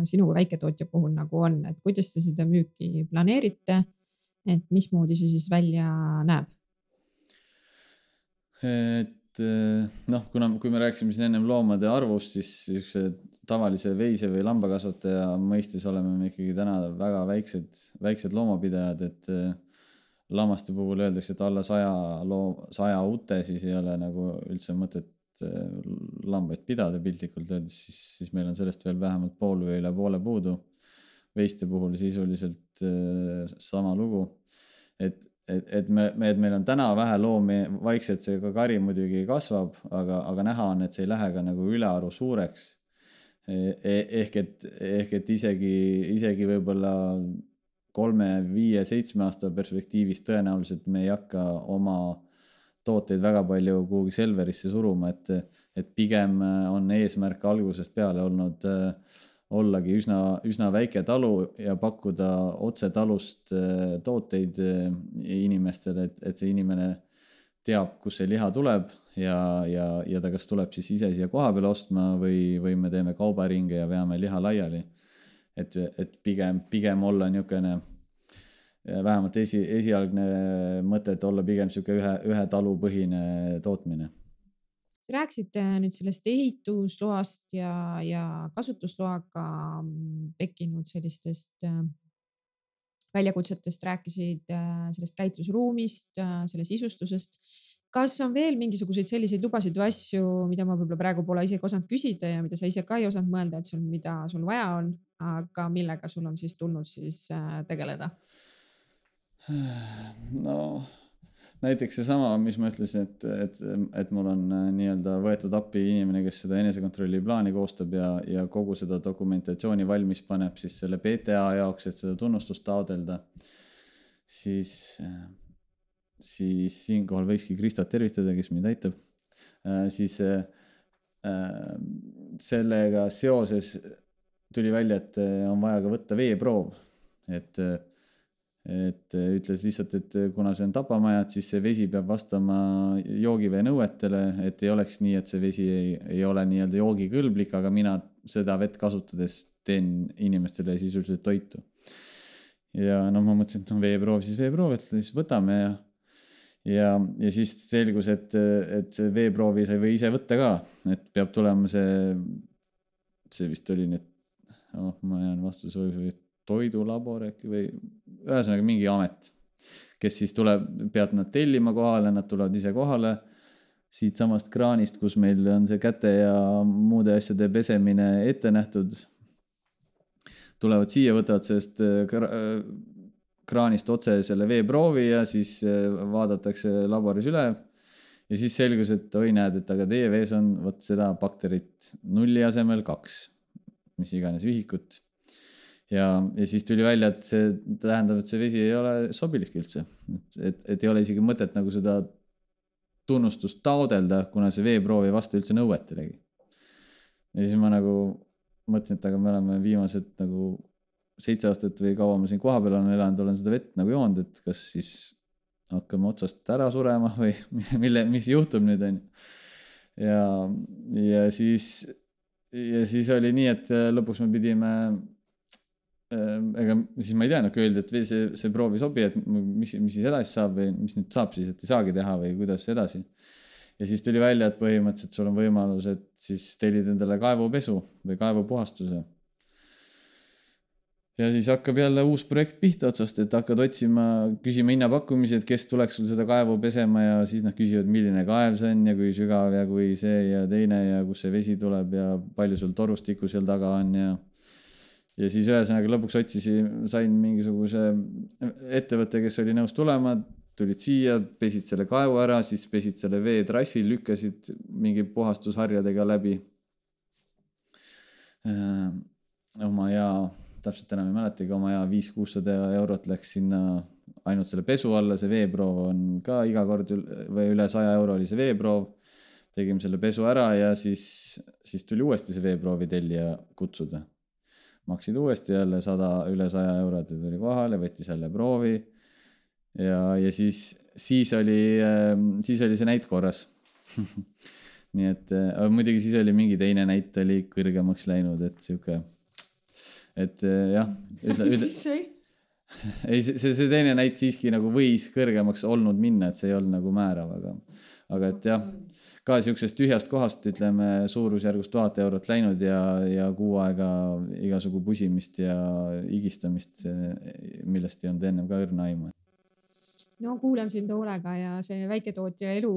sinu kui väiketootja puhul nagu on, et kuidas te seda müüki planeerite, et mismoodi see siis välja näeb? Et kui me rääksime siin ennem loomade arvust, siis tavalise veise või lambakasvataja mõistes oleme me ikkagi täna väga väiksed loomapidajad, et lammaste puhul öeldakse, et alla 100 ute, siis ei ole nagu üldse mõtet lambaid pidada piltlikult öeldes, siis meil on sellest veel vähemalt pool või üle poole puudu. Veiste puhul sisuliselt sama lugu, et meil on täna vähe loomi, vaikselt see ka kari muidugi kasvab, aga näha on, et see ei lähe ka nagu ülearu suureks. Ehk et isegi võib-olla 3, 5, 7 aasta perspektiivis tõenäoliselt me ei hakka oma tooteid väga palju kuhugi Selverisse suruma, et pigem on eesmärk algusest peale olnud ollagi üsna väike talu ja pakkuda otse talust tooteid inimestele, et see inimene teab, kus see liha tuleb ja ta kas tuleb siis ise siia koha peale ostma või me teeme kaubaringe ja veame liha laiali. Et pigem olla niisugune, vähemalt esialgne mõte, et olla pigem niisugune ühe talupõhine tootmine. Sa rääkisid nüüd sellest ehitusloast ja kasutusloaga tekkinud sellistest väljakutsetest, rääkisid sellest käitlusruumist, selle sisustusest. Kas on veel mingisuguseid selliseid lubasid või asju, mida ma võib-olla praegu pole isegi osanud küsida ja mida sa ise ka ei osanud mõelda, et mida sul vaja on, aga millega sul on siis tulnud siis tegeleda? No näiteks seesama, mis ma ütlesin, et mul on nii-öelda võetud appi inimene, kes seda enesekontrolli plaani koostab ja kogu seda dokumentatsiooni valmis paneb siis selle PTA jaoks, et seda tunnustust taodelda, siis siinkohal võikski Kristat tervitada, kes mind aitab. Siis sellega seoses tuli välja, et on vaja ka võtta veeproov, et ütles lihtsalt, et kuna see on tapamaja, et siis see vesi peab vastama joogivee nõuetele, et ei oleks nii, et see vesi ei ole nii-öelda joogikõlblik, aga mina seda vett kasutades teen inimestele sisuliselt toitu. Ja ma mõtlesin, et on veeproov, et siis võtame ja siis selgus, et see veeproovi sai või ise võtta ka, et peab tulema see vist oli nüüd, ma jään vastuse toidulabor äkki või ühesõnaga mingi amet, kes siis peab nad tellima kohale, nad tulevad ise kohale siit samast kraanist, kus meil on see käte ja muude asjade pesemine ette nähtud. Tulevad siia, võtavad sellest kraanist otse selle veeproovi ja siis vaadatakse laboris üle ja siis selgus, et oi näed, et aga teie vees on võt seda bakterit 0 asemel 2, mis iganes ühikut. Ja siis tuli välja, et see tähendab, et see vesi ei ole sobilik üldse. Et ei ole isegi mõtet nagu seda tunnustust taodelda, kuna see veeproov ei vasta üldse nõuetelegi. Ja siis ma nagu mõtlesin, et aga me oleme viimased nagu 7 aastat või kaua ma siin koha peal olen elanud, olen seda vett nagu joonud, et kas siis hakkame otsast ära surema või mis juhtub nüüd on. Ja siis oli nii, et lõpuks me pidime, ega siis ma ei tea, öeldi, et see proov ei sobi, et mis siis edasi saab või mis nüüd saab siis, et ei saagi teha või kuidas edasi. Ja siis tuli välja, et põhimõtteliselt sul on võimalus, et siis tellid endale kaevupesu või kaevupuhastuse. Ja siis hakkab jälle uus projekt pihta otsast, et hakkad küsima hinnapakkumisi, et kes tuleks sul seda kaevu pesema ja siis nad küsivad, milline kaev see on ja kui sügav ja kui see ja teine ja kus see vesi tuleb ja palju sul torustikku seal taga on ja siis ühesõnaga lõpuks sain mingisuguse ettevõtte, kes oli nõus tulema, tulid siia, pesid selle kaevu ära, siis pesid selle veetrassi, lükkasid mingi puhastusharjadega läbi oma täpselt enam ei mäletagi, oma 500-600 eurot läks sinna ainult selle pesu alla, see veeproov on ka iga kord või üle 100 euro oli see veeproov, tegime selle pesu ära ja siis tuli uuesti see veeproovi tellija kutsuda. Maksid uuesti jälle üle 100 eurot ja tuli kohale, võttis jälle proovi ja siis oli see näit korras. Nii et muidugi siis oli mingi teine näit oli kõrgemaks läinud, et siuke et jah, ei, see teine näit siiski nagu võis kõrgemaks olnud minna, et see ei olnud nagu määrav, aga et jah, ka siuksest tühjast kohast ütleme suurusjärgus 1000 eurot läinud ja kuu aega igasugu pusimist ja higistamist, millest ei olnud ennem ka õrna aimu. No kuulan sind hoolega ja see väiketootja elu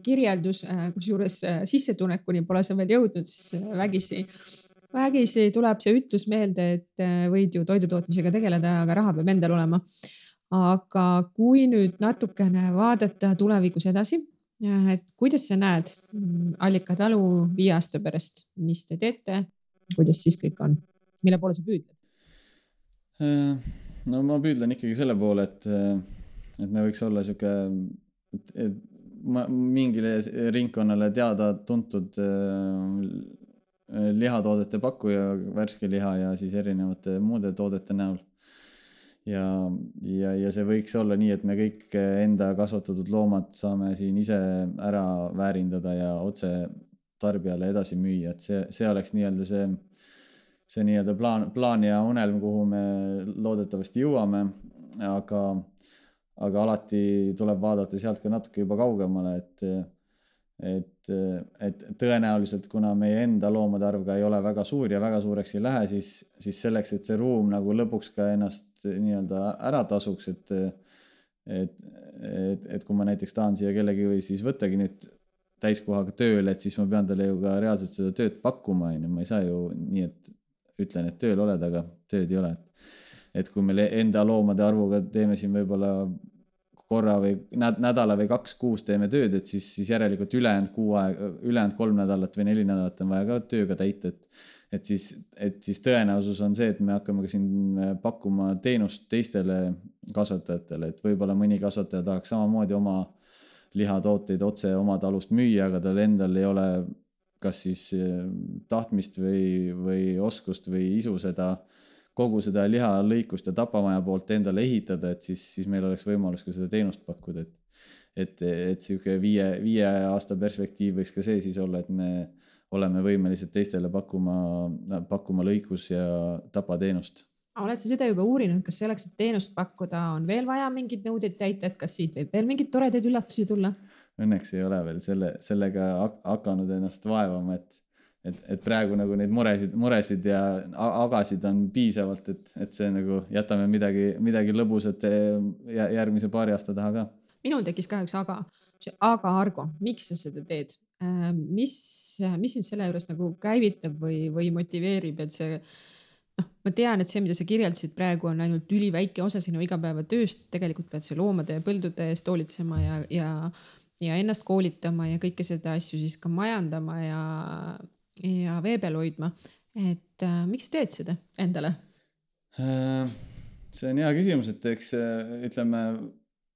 kirjeldus, kusjuures sissetulekuni pole sa veel jõudnud, siis vägisi tuleb see ütlus meelde, et võid ju toidutootmisega tegeleda, aga raha peab endal olema. Aga kui nüüd natukene vaadata tulevikus edasi, et kuidas sa näed Allika talu 5 aasta pärast, mis te teete, kuidas siis kõik on, mille poole sa püüdled? No ma püüdlen ikkagi selle poole, et me võiks olla siuke mingile ringkonnale teada tuntud lihatoodete pakkuja, värske liha ja siis erinevate muude toodete näol. Ja see võiks olla nii, et me kõik enda kasvatatud loomad saame siin ise ära väärindada ja otse tarbijale edasi müüa, et see oleks nii-öelda see nii-öelda plaan ja unelm, kuhu me loodetavasti jõuame, aga alati tuleb vaadata sealt ka natuke juba kaugemale, et tõenäoliselt, kuna meie enda loomade arv ka ei ole väga suur ja väga suureks ei lähe, siis selleks, et see ruum nagu lõpuks ka ennast nii-öelda ära tasuks, et kui ma näiteks tahan siia kellegi või siis võttagi nüüd täiskohaga tööle, et siis ma pean talle ju ka reaalselt seda tööd pakkuma, ma ei saa ju nii, et ütlen, et tööl oled, aga tööd ei ole. Et kui me enda loomade arvuga teeme siin võib-olla korra või nädala või 2 kuus teeme tööd, et siis järelikult ülejäänud 3 nädalat või 4 nädalat on vaja ka tööga täita, et siis tõenäosus on see, et me hakkame ka siin pakkuma teenust teistele kasvatajatele, et võib-olla mõni kasvataja tahaks samamoodi oma lihatooteid otse oma talust müüa, aga tal endal ei ole kas siis tahtmist või oskust või isu kogu seda lihalõikust ja tapamaja poolt endale ehitada, et siis meil oleks võimalus ka seda teenust pakkuda, et siuke 5 aasta perspektiiv võiks ka see siis olla, et me oleme võimelised teistele pakkuma lõikus ja tapateenust. Oled sa seda juba uurinud, kas selleks, et teenust pakkuda, on veel vaja mingeid nõudeid täita, et kas siit võib veel mingeid toredaid üllatusi tulla? Õnneks ei ole veel sellega hakanud ennast vaevama, et praegu nagu neid muresid ja agasid on piisavalt, et see nagu jätame midagi lõbusat järgmise paari aasta taha ka. Minul tekkis ka üks aga Argo, miks sa seda teed? Mis sind selle juures nagu käivitab või motiveerib, et see, ma tean, et see, mida sa kirjeldasid praegu on ainult üliväike osa sinu igapäevatööst, tegelikult pead see loomade ja põldude eest hoolitsema ja ennast koolitama ja kõike seda asju siis ka majandama ja vee peal hoidma, et miks sa teed seda endale? See on hea küsimus, et eks ütleme,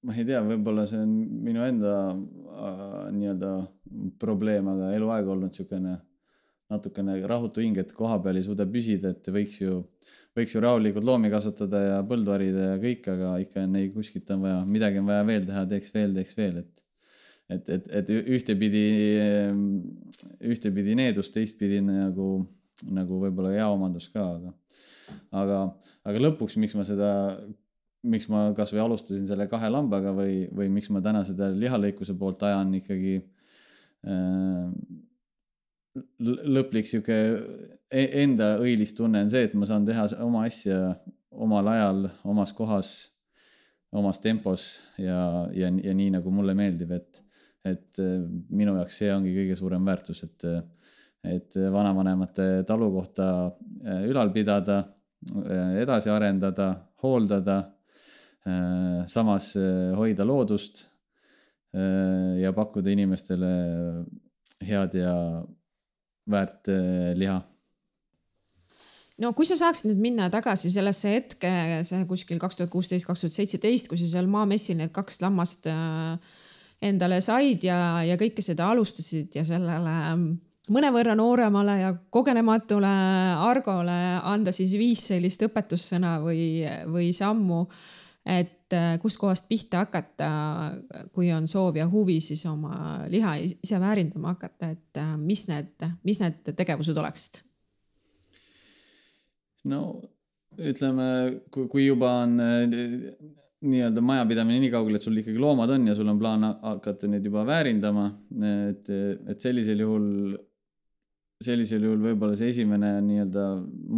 ma ei tea, võib-olla see on minu enda nii-öelda probleem, aga eluaeg olnud niisugune natukene rahutu hing, et koha peal ei suuda püsida, et võiks ju rahulikult loomi kasvatada ja põldu harida ja kõik, aga ikka ei kuskilt on vaja, midagi on vaja veel teha, teeks veel, et ühtepidi needus, teistpidi nagu võib-olla hea omandus ka, aga lõpuks, miks ma kas või alustasin selle 2 lambaga või miks ma täna seda lihalõikuse poolt ajan ikkagi lõplik siuke enda õilistunne on see, et ma saan teha oma asja omal ajal, omas kohas, omas tempos ja nii nagu mulle meeldib, et minu jaoks see ongi kõige suurem väärtus, et vanavanemate talu kohta ülal pidada, edasi arendada, hooldada, samas hoida loodust ja pakkuda inimestele head ja väärt liha. No kui sa saaksid nüüd minna tagasi sellesse hetke, see kuskil 2016-2017, kui sa seal maamessil need 2 lammast endale said ja kõike seda alustasid ja sellele mõnevõrra nooremale ja kogenematule Argole anda siis 5 sellist õpetussõna või sammu, et kust kohast pihta hakata, kui on soov ja huvi siis oma liha ise väärindama hakata, et mis need tegevused oleksid? No ütleme, kui juba on nii-öelda majapidamine nii kaugel, et sul ikkagi loomad on ja sul on plaan hakata neid juba väärindama, et sellisel juhul võib-olla see esimene nii-öelda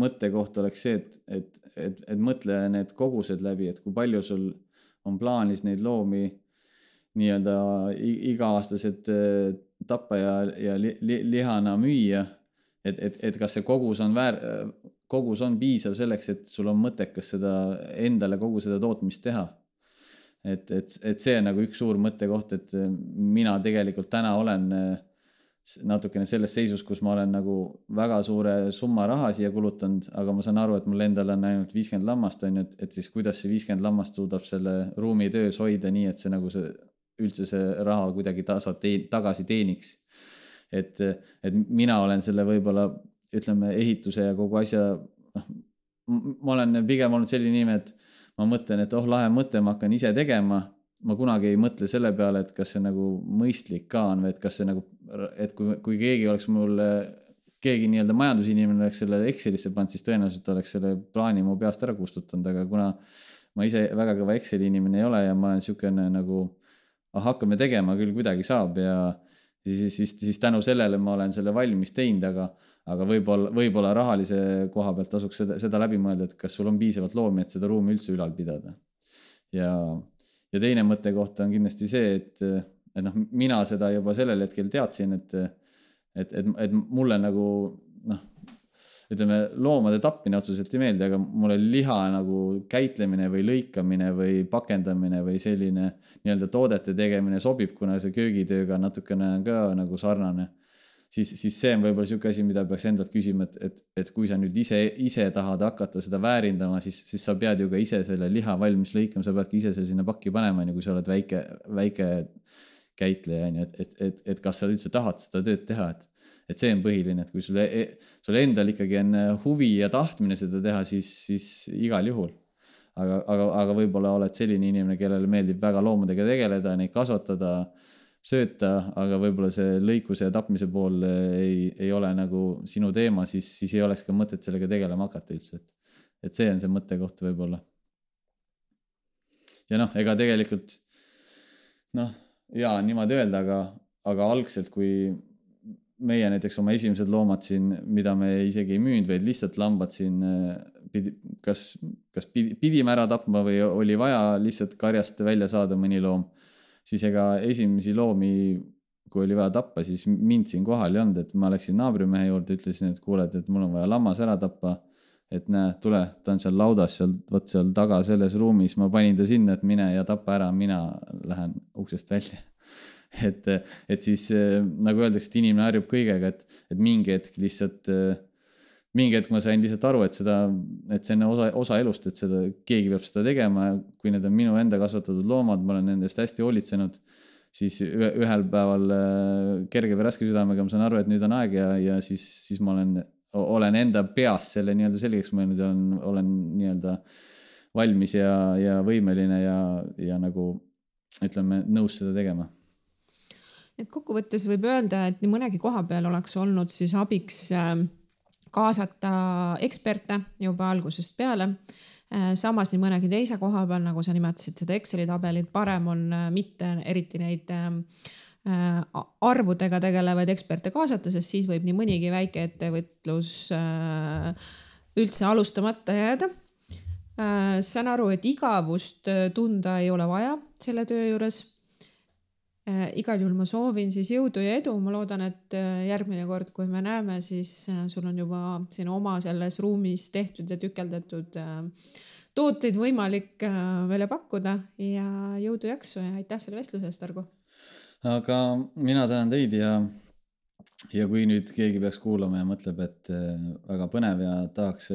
mõttekoht oleks see, et mõtle need kogused läbi, et kui palju sul on plaanis neid loomi nii-öelda iga-aastased tappa ja lihana müüa, et kas see kogus on piisav selleks, et sul on mõttekas seda endale kogu seda tootmist teha. Et see on nagu üks suur mõttekoht, et mina tegelikult täna olen natukene selles seisus, kus ma olen nagu väga suure summa raha siia kulutanud, aga ma saan aru, et mul endal on ainult 50 lammast, et siis kuidas see 50 lammast suudab selle ruumi töös hoida nii, et see nagu üldse see raha kuidagi tagasi teeniks. Et mina olen selle võib-olla, ütleme, ehituse ja kogu asja, ma olen pigem olnud selline inimene, et ma mõtlen, et lahe mõte, ma hakkan ise tegema. Ma kunagi ei mõtle selle peale, et kas see nagu mõistlik ka on või et kas see nagu, et kui keegi oleks keegi nii-öelda majandusinimene oleks selle Excelisse pannud, siis tõenäoliselt oleks selle plaani mu peast ära kustutanud, aga kuna ma ise väga kõva Exceli inimene ei ole ja ma olen niisugune nagu, hakkame tegema, küll kuidagi saab ja siis tänu sellele ma olen selle valmis teinud, aga võib-olla rahalise koha pealt tasuks seda läbi mõelda, et kas sul on piisavalt loomi, et seda ruumi üldse ülal pidada. Ja teine mõttekoht on kindlasti see, et mina seda juba sellel hetkel teadsin, et mulle nagu, ütleme, loomade tappine otseselt ei meeldi, aga mulle liha nagu käitlemine või lõikamine või pakendamine või selline nii-öelda toodete tegemine sobib, kuna see köögitööga natukene ka nagu sarnane. Siis see on võib-olla siuke asi, mida peaks endalt küsima, et kui sa nüüd ise tahad hakata seda väärindama, siis sa pead ju ka ise selle liha valmis lõikama, sa peadki ise selle sinna pakki panema, kui sa oled väike käitleja, et kas sa üldse tahad seda tööd teha, et see on põhiline, et kui sul endal ikkagi on huvi ja tahtmine seda teha, siis igal juhul. Aga võib-olla oled selline inimene, kellele meeldib väga loomadega tegeleda, neid kasvatada, sööta, aga võib-olla see lõikuse ja tapmise pool ei ole nagu sinu teema, siis ei oleks ka mõtet sellega tegelema hakata üldse. Et see on see mõttekoht võib-olla. Ja ega tegelikult, niimoodi öelda, aga algselt, kui meie näiteks oma esimesed loomad siin, mida me isegi ei müünud, vaid lihtsalt lambad siin, kas pidime ära tapma või oli vaja lihtsalt karjast välja saada mõni loom, siis ega esimesi loomi, kui oli vaja tappa, siis mind siin kohal ei olnud, et ma läksin naabrimehe juurde, ütlesin, et kuuled, et mul on vaja lammas ära tappa, et näe, tule, ta on seal laudas, seal taga selles ruumis, ma panin ta sinna, et mine ja tapa ära, mina lähen uksest välja. Et siis nagu öeldakse, et inimene harjub kõigega, et mingi hetk lihtsalt mingi hetk ma sain lihtsalt aru, et see on osa elust, et seda keegi peab seda tegema ja kui need on minu enda kasvatatud loomad, ma olen nendest hästi hoolitsenud, siis ühel päeval kerge või raske südamega ma saan aru, et nüüd on aeg ja siis ma olen enda peas selle nii-öelda selgeks mõelnud ja olen nii-öelda valmis ja võimeline ja nagu ütleme nõus seda tegema. Et kokkuvõttes võib öelda, et nii mõnegi koha peal oleks olnud siis abiks kaasata eksperte juba algusest peale. Samas nii mõnegi teise koha peal, nagu sa nimetasid seda Exceli tabelit, parem on mitte eriti neid arvudega tegelevaid eksperte kaasata, sest siis võib nii mõnigi väike ettevõtlus üldse alustamata jääda. Saan aru, et igavust tunda ei ole vaja selle töö juures. Igal juhul ma soovin siis jõudu ja edu. Ma loodan, et järgmine kord, kui me näeme, siis sul on juba siin oma selles ruumis tehtud ja tükeldatud tooteid võimalik välja pakkuda ja jõudu jaksu ja aitäh selle vestluse eest, Argo. Aga mina tänan teid ja kui nüüd keegi peaks kuulama ja mõtleb, et väga põnev ja tahaks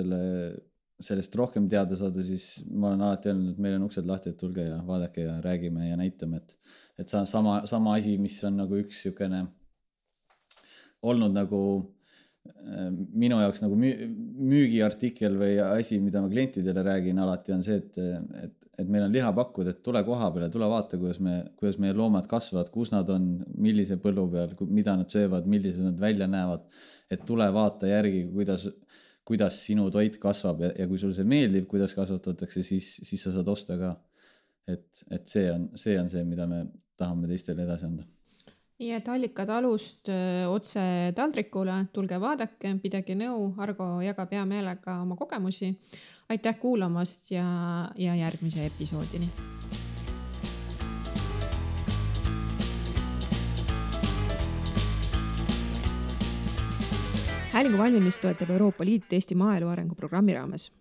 sellest rohkem teada saada, siis ma olen alati öelnud, et meil on uksed lahti, et tulge ja vaadake ja räägime ja näitame, et sama asi, mis on nagu üks sükene olnud nagu minu jaoks nagu müügiartikkel või asi, mida ma klientidele räägin alati on see, et meil on liha pakkuda, et tule koha peale, tule vaata, kuidas meie loomad kasvavad, kus nad on, millise põllu peal, mida nad söövad, millised nad välja näevad, et tule vaata järgi, kuidas sinu toit kasvab ja kui sul see meeldib, kuidas kasvatatakse, siis sa saad osta ka. Et see on see, mida me tahame teistele edasi anda. Ja et allikad alust otse taldrikule, tulge vaadake, pidage nõu, Argo jagab hea meelega oma kogemusi. Aitäh kuulamast ja järgmise episoodini. Häälingu valmimist toetab Euroopa Liit Eesti maaelu arengu programmi raames.